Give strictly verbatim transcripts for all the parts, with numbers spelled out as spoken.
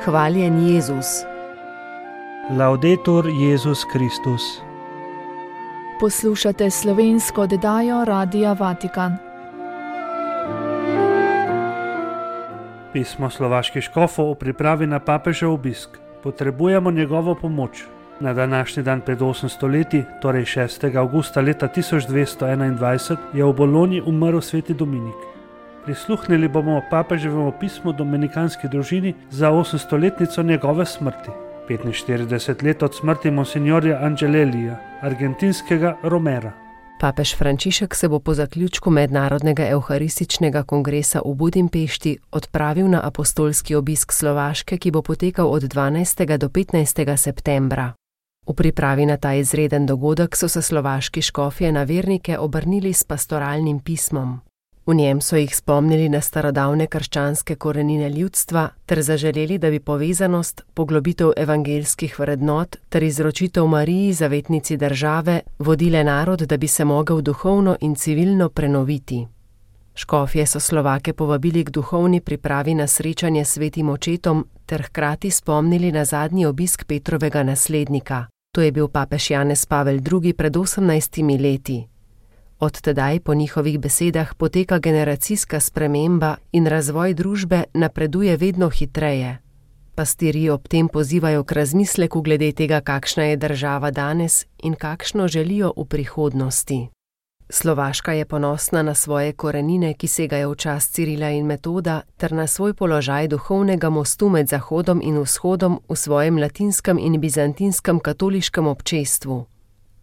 Hvaljen Jezus. Laudetur Jezus Kristus. Poslušate slovensko oddajo Radia Vatikan. Pismo slovaških škofov o pripravi na papežev obisk. Potrebujemo njegovo pomoč. Na današnji dan pred osemsto leti, torej šestega avgusta leta tisoč dvesto enaindvajset, je v Bologni umrl sveti Dominik. Prisluhnili bomo papeževemu pismu dominikanski družini za osemstoletnico njegove smrti. petinštirideset let od smrti monsignorja Angelelija, argentinskega Romera. Papež Frančišek se bo po zaključku mednarodnega evharističnega kongresa v Budimpešti odpravil na apostolski obisk Slovaške, ki bo potekal od dvanajstega do petnajstega septembra. V pripravi na ta izreden dogodek so se slovaški škofje na vernike obrnili s pastoralnim pismom. V njem so jih spomnili na starodavne krščanske korenine ljudstva ter zaželeli, da bi povezanost, poglobitev evangeljskih vrednot ter izročitev Mariji, zavetnici države, vodile narod, da bi se mogel duhovno in civilno prenoviti. Škofje so Slovake povabili k duhovni pripravi na srečanje s svetim očetom ter hkrati spomnili na zadnji obisk Petrovega naslednika. To je bil papež Janez Pavel drugi pred osemnajstimi leti. Od tedaj po njihovih besedah poteka generacijska sprememba in razvoj družbe napreduje vedno hitreje. Pastirji ob tem pozivajo k razmisleku glede tega, kakšna je država danes in kakšno želijo v prihodnosti. Slovaška je ponosna na svoje korenine, ki segajo v čas Cirila in Metoda, ter na svoj položaj duhovnega mostu med Zahodom in Vzhodom v svojem latinskem in bizantinskem katoliškem občestvu.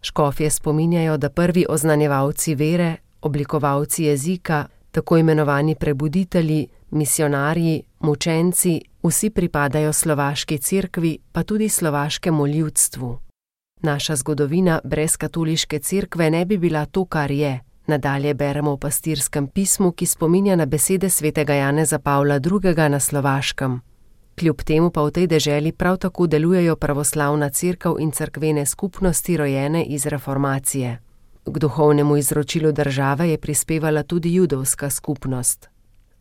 Škofje spominjajo, da prvi oznanjevalci vere, oblikovalci jezika, tako imenovani prebuditelji, misionarji, mučenci, vsi pripadajo slovaški cerkvi, pa tudi slovaškemu ljudstvu. Naša zgodovina brez katoliške cerkve ne bi bila to, kar je. Nadalje beremo v pastirskem pismu, ki spominja na besede svetega Janeza Pavla drugega na Slovaškem. Kljub temu pa v tej deželi prav tako delujejo pravoslavna cerkev in cerkvene skupnosti rojene iz reformacije. K duhovnemu izročilu države je prispevala tudi judovska skupnost.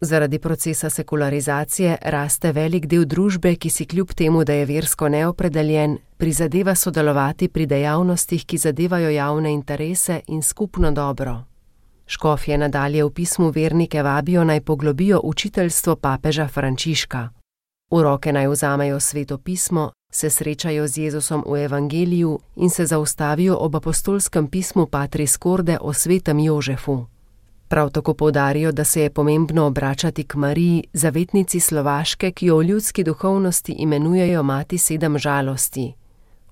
Zaradi procesa sekularizacije raste velik del družbe, ki si kljub temu, da je versko neopredeljen, prizadeva sodelovati pri dejavnostih, ki zadevajo javne interese in skupno dobro. Škofje nadalje v pismu vernike vabijo naj poglobijo učiteljstvo papeža Frančiška. V roke naj vzamejo sveto pismo, se srečajo z Jezusom v evangeliju in se zaustavijo ob apostolskem pismu Patris Corde o svetem Jožefu. Prav tako poudarijo, da se je pomembno obračati k Mariji, zavetnici Slovaške, ki jo v ljudski duhovnosti imenujejo mati sedem žalosti.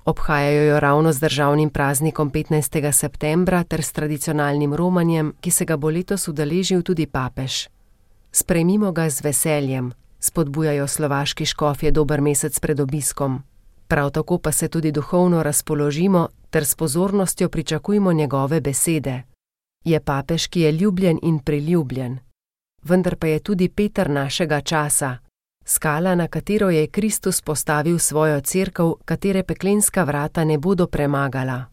Obhajajo jo ravno z državnim praznikom petnajstega septembra ter s tradicionalnim romanjem, ki se ga bo letos udeležil tudi papež. Sprejmimo ga z veseljem, spodbujajo slovaški škofje dober mesec pred obiskom. Prav tako pa se tudi duhovno razpoložimo ter s pozornostjo pričakujmo njegove besede. Je papež, ki je ljubljen in priljubljen. Vendar pa je tudi Peter našega časa, skala, na katero je Kristus postavil svojo cerkev, katere peklenska vrata ne bodo premagala.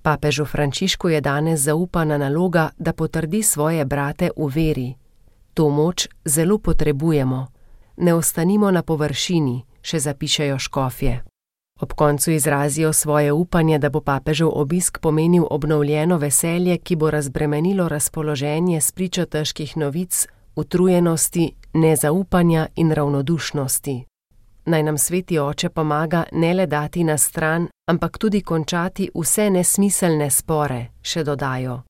Papežu Frančišku je danes zaupana naloga, da potrdi svoje brate v veri. To moč zelo potrebujemo. Ne ostanimo na površini, še zapišejo škofje. Ob koncu izrazijo svoje upanje, da bo papežev obisk pomenil obnovljeno veselje, ki bo razbremenilo razpoloženje spričo težkih novic, utrujenosti, nezaupanja in ravnodušnosti. Naj nam sveti oče pomaga ne le dati na stran, ampak tudi končati vse nesmiselne spore, še dodajo.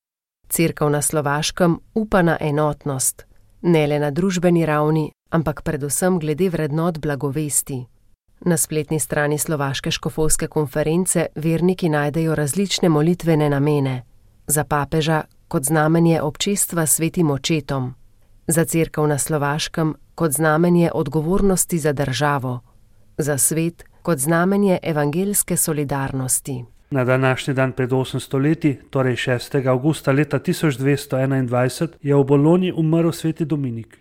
Cerkev na Slovaškem upa na enotnost, ne le na družbeni ravni, ampak predvsem glede vrednot blagovesti. Na spletni strani Slovaške škofovske konference verniki najdejo različne molitvene namene. Za papeža kot znamenje občestva s svetim očetom. Za cerkev na Slovaškem kot znamenje odgovornosti za državo. Za svet kot znamenje evangeljske solidarnosti. Na današnji dan pred osemsto leti, torej šestega avgusta leta tisoč dvesto enaindvajset, je v Bologni umrl sveti Dominik.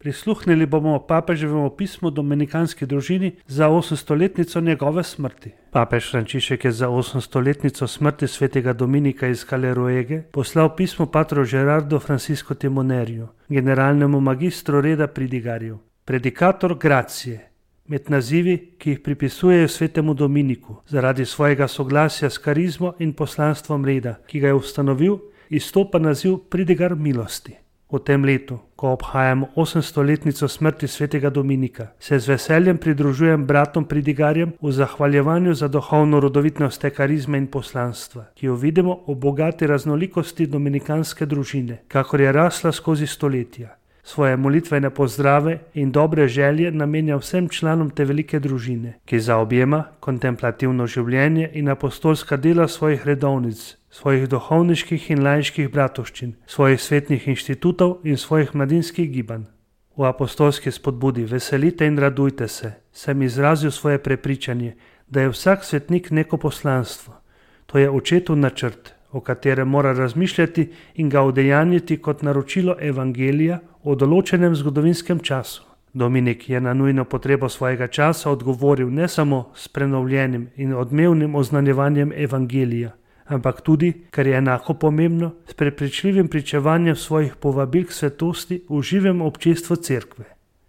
Prisluhnili bomo papeževemu pismu dominikanski družini za osemstoletnico njegove smrti. Papež Frančišek je za osemstoletnico smrti svetega Dominika iz Caleruege poslal pismo patru Gerardo Francisco Timonerju, generalnemu magistru reda pridigarjev. Predikator gracije, Med nazivi, ki jih pripisujejo svetemu Dominiku, zaradi svojega soglasja s karizmo in poslanstvom reda, ki ga je ustanovil, izstopa naziv pridigar milosti. V tem letu, ko obhajamo osemstoletnico smrti svetega Dominika, se z veseljem pridružujem bratom pridigarjem v zahvaljevanju za duhovno rodovitnost te karizme in poslanstva, ki jo vidimo v bogati raznolikosti dominikanske družine, kakor je rasla skozi stoletja. Svoje molitvene pozdrave in dobre želje namenja vsem članom te velike družine, ki zaobjema kontemplativno življenje in apostolska dela svojih redovnic, svojih duhovniških in laiških bratovščin, svojih svetnih inštitutov in svojih mladinskih gibanj. V apostolski spodbudi veselite in radujte se, sem izrazil svoje prepričanje, da je vsak svetnik neko poslanstvo. To je očetov načrt, o katerem mora razmišljati in ga udejanjiti kot naročilo evangelija o določenem zgodovinskem času. Dominik je na nujno potrebo svojega časa odgovoril ne samo s prenovljenim in odmevnim oznanjevanjem evangelija, ampak tudi, kar je enako pomembno, s prepričljivim pričevanjem svojih povabil k svetosti v živem občestvu cerkve.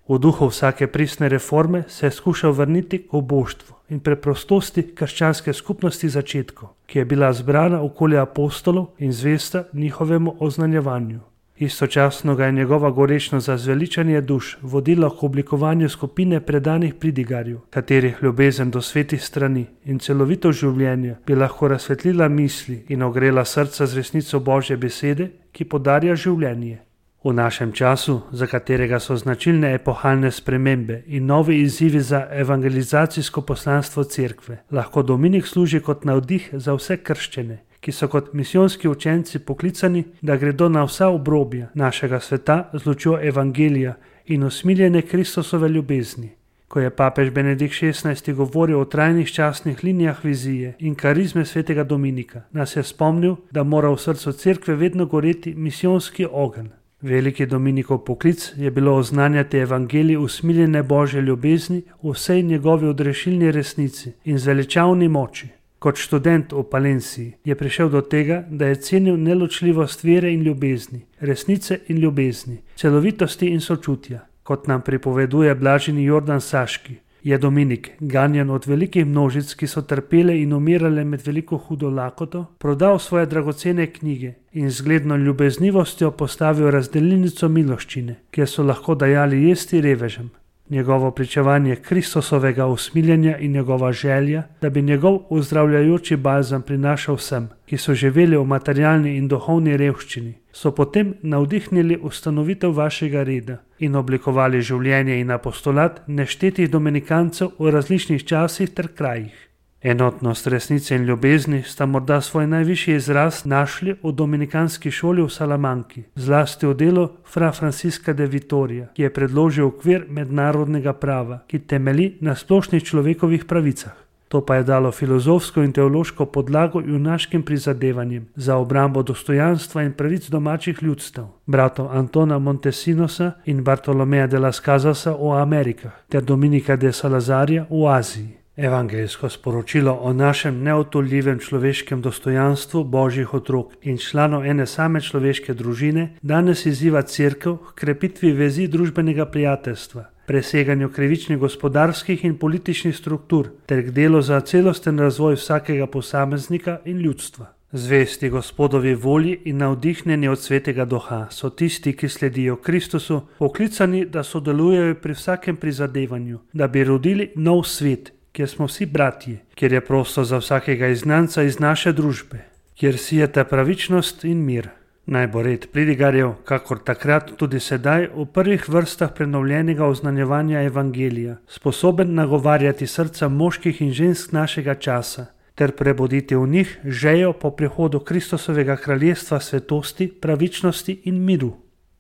V duhu vsake pristne reforme se je skušal vrniti k oboštvu in preprostosti krščanske skupnosti začetkov, ki je bila zbrana okoli apostolov in zvesta njihovemu oznanjevanju. Istočasno ga je njegova gorečnost za zveličanje duš vodila k oblikovanju skupine predanih pridigarjev, katerih ljubezen do svetih strani in celovito življenje bi lahko razsvetlila misli in ogrela srca z resnico Božje besede, ki podarja življenje. V našem času, za katerega so značilne epohalne spremembe in novi izzivi za evangelizacijsko poslanstvo cerkve, lahko Dominik služi kot navdih za vse krščene, ki so kot misijonski učenci poklicani, da gredo na vsa obrobja našega sveta z lučjo evangelija in usmiljene Kristusove ljubezni. Ko je papež Benedikt šestnajsti govoril o trajnih časnih linijah vizije in karizme svetega Dominika, nas je spomnil, da mora v srcu cerkve vedno goreti misijonski ogenj. Veliki Dominikov poklic je bilo oznanjati evangelij usmiljene Božje ljubezni v vsej njegovi odrešilni resnici in zveličavni moči. Kot študent v Palenciji je prišel do tega, da je cenil neločljivost vere in ljubezni, resnice in ljubezni, celovitosti in sočutja. Kot nam pripoveduje blaženi Jordan Saški, je Dominik, ganjan od velikih množic, ki so trpele in umirale med veliko hudo lakoto, prodal svoje dragocene knjige in z zgledno ljubeznivostjo postavil razdelilnico miloščine, kjer so lahko dajali jesti revežem. Njegovo pričevanje Kristusovega usmiljenja in njegova želja, da bi njegov uzdravljajoči balzam prinašal vsem, ki so živeli v materialni in duhovni revščini, so potem navdihnili ustanovitev vašega reda in oblikovali življenje in apostolat neštetih dominikancev v različnih časih ter krajih. Enotnost resnice in ljubezni sta morda svoj najvišji izraz našli v dominikanski šoli v Salamanki, zlasti v delu fra Francisca de Vitoria, ki je predložil okvir mednarodnega prava, ki temelji na splošnih človekovih pravicah. To pa je dalo filozofsko in teološko podlago junaškim prizadevanjem za obrambo dostojanstva in pravic domačih ljudstev, bratov Antona Montesinosa in Bartolomeja de las Casasa v Amerikah ter Dominika de Salazarja v Aziji. Evangeljsko sporočilo o našem neotoljivem človeškem dostojanstvu Božjih otrok in članov ene same človeške družine danes izziva cerkev k krepitvi vezi družbenega prijateljstva, preseganju krivičnih gospodarskih in političnih struktur ter k delu za celosten razvoj vsakega posameznika in ljudstva. Zvesti Gospodovi volji in navdihnjeni od svetega duha so tisti, ki sledijo Kristusu, poklicani, da sodelujejo pri vsakem prizadevanju, da bi rodili nov svet, kjer smo vsi bratje, kjer je prostor za vsakega izgnanca iz naše družbe, kjer sijete pravičnost in mir. Naj bo red pridigarjev, kakor takrat tudi sedaj, v prvih vrstah prenovljenega oznanjevanja evangelija, sposoben nagovarjati srca moških in žensk našega časa, ter prebuditi v njih željo po prihodu Kristusovega kraljestva svetosti, pravičnosti in miru.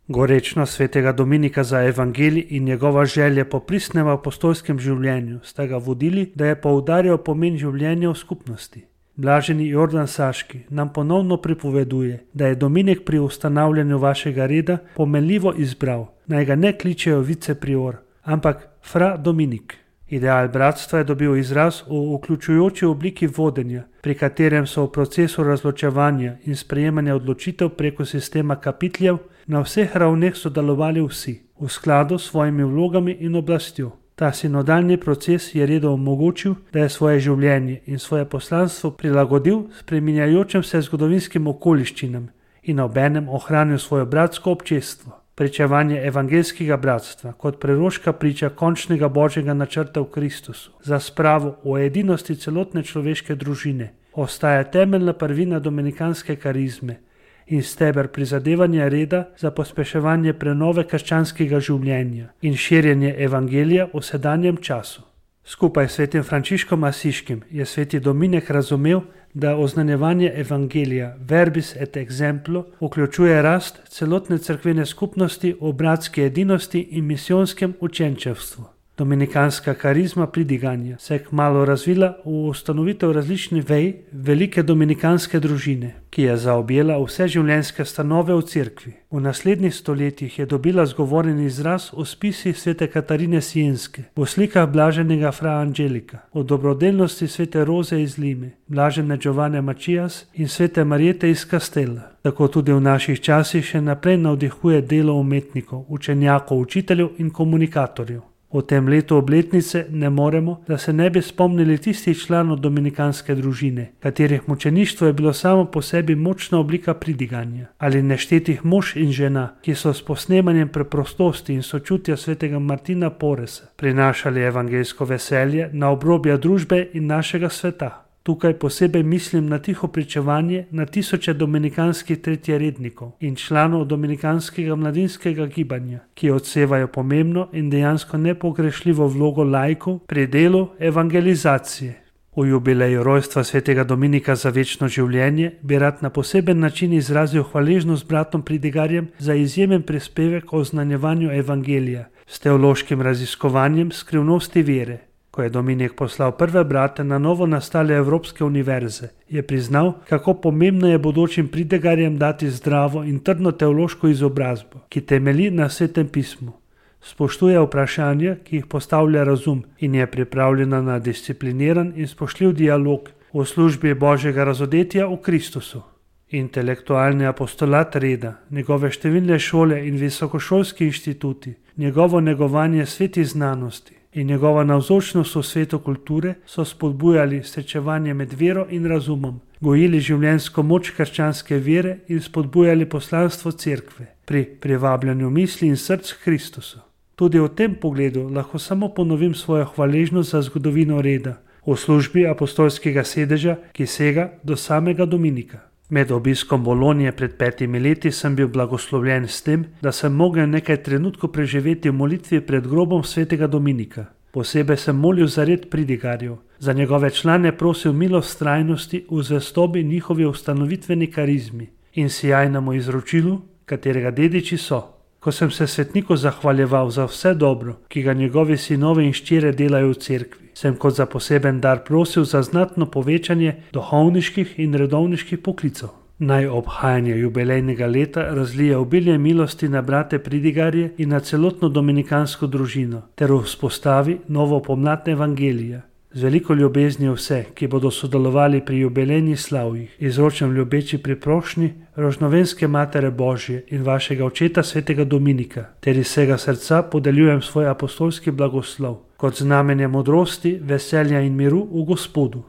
Gorečnost svetega Dominika za evangelij in njegova želja po pristnem apostolskem življenju sta ga vodili, da je poudarjal pomen življenja v skupnosti. Blaženi Jordan Saški nam ponovno pripoveduje, da je Dominik pri ustanavljanju vašega reda pomenljivo izbral, naj ga ne kličejo viceprior, ampak fra Dominik. Ideal bratstva je dobil izraz v vključujoči obliki vodenja, pri katerem so v procesu razločevanja in sprejemanja odločitev preko sistema kapitljev na vseh ravneh sodelovali vsi, v skladu s svojimi vlogami in oblastjo. Ta sinodalni proces je Redo omogočil, da je svoje življenje in svoje poslanstvo prilagodil spreminjajočim se zgodovinskim okoliščinam in obenem ohranil svoje bratsko občestvo. Pričevanje evangeljskega bratstva kot preroška priča končnega božjega načrta v Kristusu za spravo o edinosti celotne človeške družine ostaja temeljna prvina dominikanske karizme in steber prizadevanja Reda za pospeševanje prenove krščanskega življenja in širjenje evangelija v sedanjem času. Skupaj s svetim Frančiškom Asiškim je sveti Dominik razumel, da oznanjevanje evangelija verbis et exemplo vključuje rast celotne cerkvene skupnosti v bratski edinosti in misijonskem učenčevstvu. Dominikanska karizma pridiganja se je kmalu razvila v ustanovitev različnih vej velike dominikanske družine, ki je zaobjela vse življenjske stanove v cerkvi. V naslednjih stoletjih je dobila zgovoren izraz v spisih svete Katarine Sienske, v slikah blaženega fra Angelika, v dobrodelnosti svete Roze iz Lime, blažene Giovanne Mačias in svete Marijete iz Kastela. Tako tudi v naših časih še naprej navdihuje delo umetnikov, učenjakov, učiteljev in komunikatorjev. V tem letu obletnice ne moremo, da se ne bi spomnili tistih članov dominikanske družine, katerih mučeništvo je bilo samo po sebi močna oblika pridiganja, ali neštetih mož in žena, ki so s posnemanjem preprostosti in sočutja svetega Martina Poresa prinašali evangeljsko veselje na obrobja družbe in našega sveta. Tukaj posebej mislim na tiho pričevanje na tisoče dominikanskih tretjerednikov in članov dominikanskega mladinskega gibanja, ki odsevajo pomembno in dejansko nepogrešljivo vlogo laikov pri delu evangelizacije. V jubileju rojstva svetega Dominika za večno življenje bi rad na poseben način izrazil hvaležnost bratom pridigarjem za izjemen prispevek o oznanjevanju evangelija s teološkim raziskovanjem skrivnosti vere. Ko je Dominik poslal prve brate na novo nastale evropske univerze, je priznal, kako pomembno je bodočim pridigarjem dati zdravo in trdno teološko izobrazbo, ki temelji na svetem pismu. Spoštuje vprašanja, ki jih postavlja razum in je pripravljena na discipliniran in spoštljiv dialog v službi božjega razodetja v Kristusu. Intelektualni apostolat Reda, njegove številne šole in visokošolski inštituti, njegovo negovanje sveti znanosti in njegova navzočnost v svetu kulture so spodbujali srečevanje med vero in razumom, gojili življenjsko moč krščanske vere in spodbujali poslanstvo cerkve pri privabljanju misli in src Kristusu. Tudi v tem pogledu lahko samo ponovim svojo hvaležnost za zgodovino Reda v službi apostolskega sedeža, ki sega do samega Dominika. Med obiskom Bolonije pred petimi leti sem bil blagoslovljen s tem, da sem mogel nekaj trenutkov preživeti v molitvi pred grobom svetega Dominika. Posebej sem molil za red pridigarjev, za njegove člane prosil milost trajnosti v zvestobi njihovi ustanovitveni karizmi in sijajnemu izročilu, katerega dediči so. Ko sem se svetniku zahvaljeval za vse dobro, ki ga njegovi sinovi in ščire delajo v cerkvi, sem kot za poseben dar prosil za znatno povečanje duhovniških in redovniških poklicov. Naj obhajanje jubilejnega leta razlije obilje milosti na brate pridigarje in na celotno dominikansko družino ter vzpostavi novo pomlad evangelija. Z veliko ljubezni vse, ki bodo sodelovali pri jubilejnih slavjih, izročam ljubeči priprošnji rožnovenske Matere Božje in vašega očeta svetega Dominika, ter iz vsega srca podeljujem svoj apostolski blagoslov, kot znamenje modrosti, veselja in miru v Gospodu.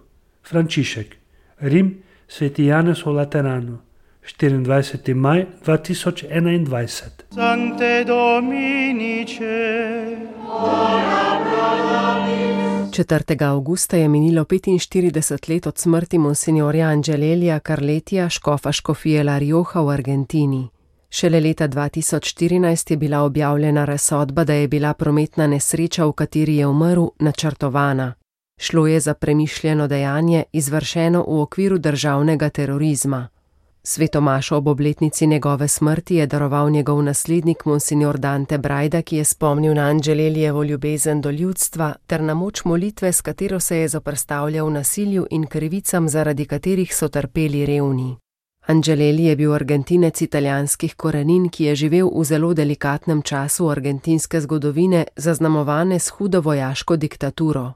Frančišek, Rim, sveti Janez v Lateranu, štiriindvajseti maj dva tisoč enaindvajset. Sancte Dominice, četrtega avgusta je minilo petinštirideset let od smrti monsinjorja Angelelija Carletija, škofa škofije La Rioja v Argentini. Šele leta dva tisoč štirinajst je bila objavljena razsodba, da je bila prometna nesreča, v kateri je umrl, načrtovana. Šlo je za premišljeno dejanje, izvršeno v okviru državnega terorizma. Svetomašo ob obletnici njegove smrti je daroval njegov naslednik monsinjor Dante Brajda, ki je spomnil na Angelelijevo ljubezen do ljudstva ter na moč molitve, s katero se je zoperstavljal nasilju in krivicam, zaradi katerih so trpeli revni. Angeleli je bil Argentinec italijanskih korenin, ki je živel v zelo delikatnem času argentinske zgodovine, zaznamovane s hudo vojaško diktaturo.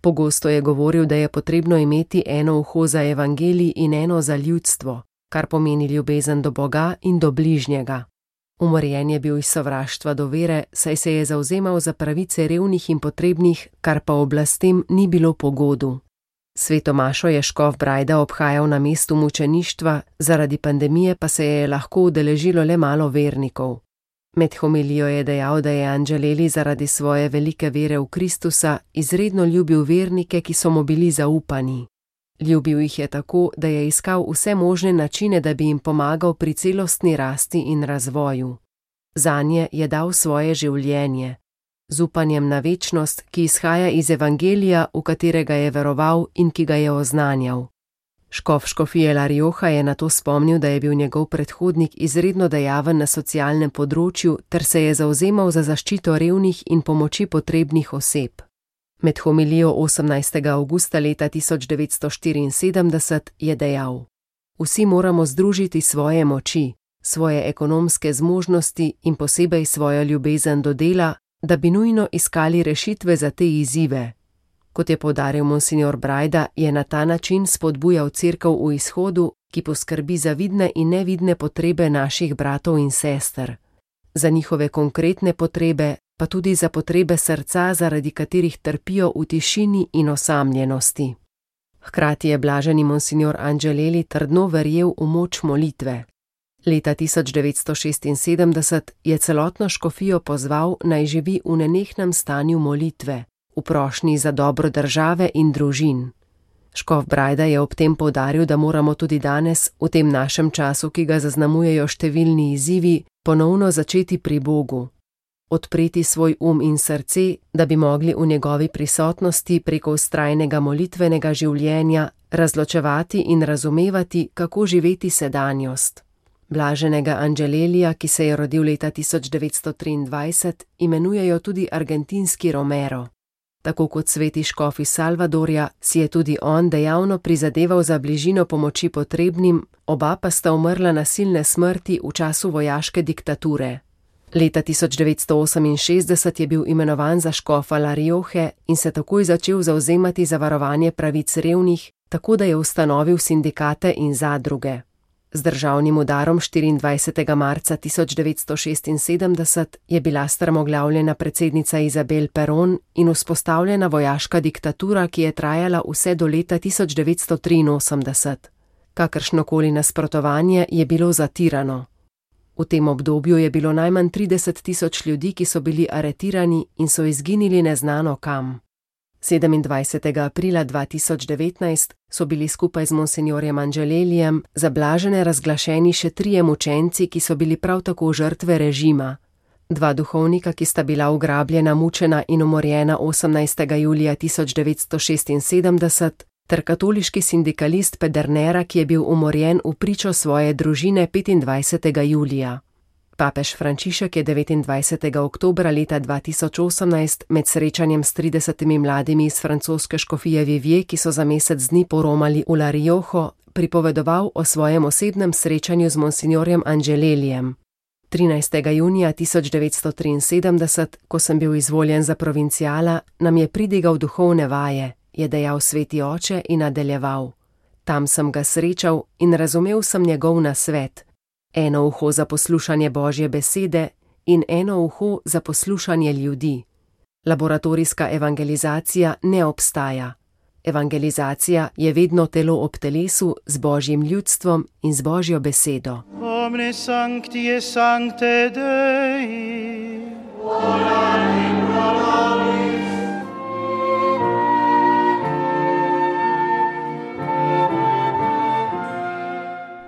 Pogosto je govoril, da je potrebno imeti eno uho za evangelij in eno za ljudstvo, kar pomeni ljubezen do Boga in do bližnjega. Umorjen je bil iz sovraštva do vere, saj se je zavzemal za pravice revnih in potrebnih, kar pa oblastem ni bilo po godu. Sveto mašo je škof Brajda obhajal na mestu mučeništva, zaradi pandemije pa se je lahko udeležilo le malo vernikov. Med homilijo je dejal, da je Angeleli zaradi svoje velike vere v Kristusa izredno ljubil vernike, ki so mu bili zaupani. Ljubil jih je tako, da je iskal vse možne načine, da bi jim pomagal pri celostni rasti in razvoju. Zanje je dal svoje življenje, z upanjem na večnost, ki izhaja iz evangelija, v katerega je veroval in ki ga je oznanjal. Škof škofije La Rioja je nato spomnil, da je bil njegov predhodnik izredno dejaven na socialnem področju ter se je zavzemal za zaščito revnih in pomoči potrebnih oseb. Med homilijo osemnajstega avgusta leta tisoč devetsto štiriinsedemdeset je dejal: Vsi moramo združiti svoje moči, svoje ekonomske zmožnosti in posebej svojo ljubezen do dela, da bi nujno iskali rešitve za te izzive. Kot je poudaril monsignor Brajda, je na ta način spodbujal cerkev v izhodu, ki poskrbi za vidne in nevidne potrebe naših bratov in sester. Za njihove konkretne potrebe, pa tudi za potrebe srca, zaradi katerih trpijo v tišini in osamljenosti. Hkrati je blaženi monsignor Angeleli trdno verjel v moč molitve. Leta tisoč devetsto šestinsedemdeset je celotno škofijo pozval, naj živi v nenehnem stanju molitve, v prošnji za dobro države in družin. Škof Brajda je ob tem poudaril, da moramo tudi danes, v tem našem času, ki ga zaznamujejo številni izzivi, ponovno začeti pri Bogu. Odpreti svoj um in srce, da bi mogli v njegovi prisotnosti preko vztrajnega molitvenega življenja razločevati in razumevati, kako živeti sedanjost. Blaženega Angelelija, ki se je rodil leta tisoč devetsto triindvajset, imenujejo tudi argentinski Romero. Tako kot sveti škof iz Salvadorja, si je tudi on dejavno prizadeval za bližino pomoči potrebnim, oba pa sta umrla nasilne smrti v času vojaške diktature. Leta tisoč devetsto oseminšestdeset je bil imenovan za škofa La Rioje in se takoj začel zavzemati za varovanje pravic revnih, tako da je ustanovil sindikate in zadruge. Z državnim udarom štiriindvajsetega marca tisoč devetsto šestinsedemdeset je bila strmoglavljena predsednica Izabel Perón in vzpostavljena vojaška diktatura, ki je trajala vse do leta tisoč devetsto triinosemdeset. Kakršnokoli nasprotovanje je bilo zatirano. V tem obdobju je bilo najmanj trideset tisoč ljudi, ki so bili aretirani in so izginili neznano kam. sedemindvajsetega aprila dva tisoč devetnajst so bili skupaj z monsignorjem Angelelijem za blažene razglašeni še trije mučenci, ki so bili prav tako žrtve režima. Dva duhovnika, ki sta bila ugrabljena, mučena in umorjena osemnajstega julija tisoč devetsto šestinsedemdeset, ter katoliški sindikalist Pedernera, ki je bil umorjen v pričo svoje družine petindvajsetega julija. Papež Frančišek je devetindvajsetega oktobra leta dva tisoč osemnajst med srečanjem s tridesetimi mladimi iz francoske škofije Vivier, ki so za mesec dni poromali v La Riojo, pripovedoval o svojem osebnem srečanju z monsignorjem Angelelijem. trinajstega junija tisoč devetsto triinsedemdeset, ko sem bil izvoljen za provinciala, nam je pridigal duhovne vaje, je dejal sveti oče in nadaljeval. Tam sem ga srečal in razumel sem njegov nasvet. Eno uho za poslušanje Božje besede in eno uho za poslušanje ljudi. Laboratorijska evangelizacija ne obstaja. Evangelizacija je vedno telo ob telesu z Božjim ljudstvom in z Božjo besedo. Omne sancti et sancte Dei,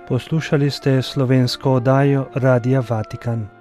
Poslušali ste slovensko oddajo Radia Vatikan.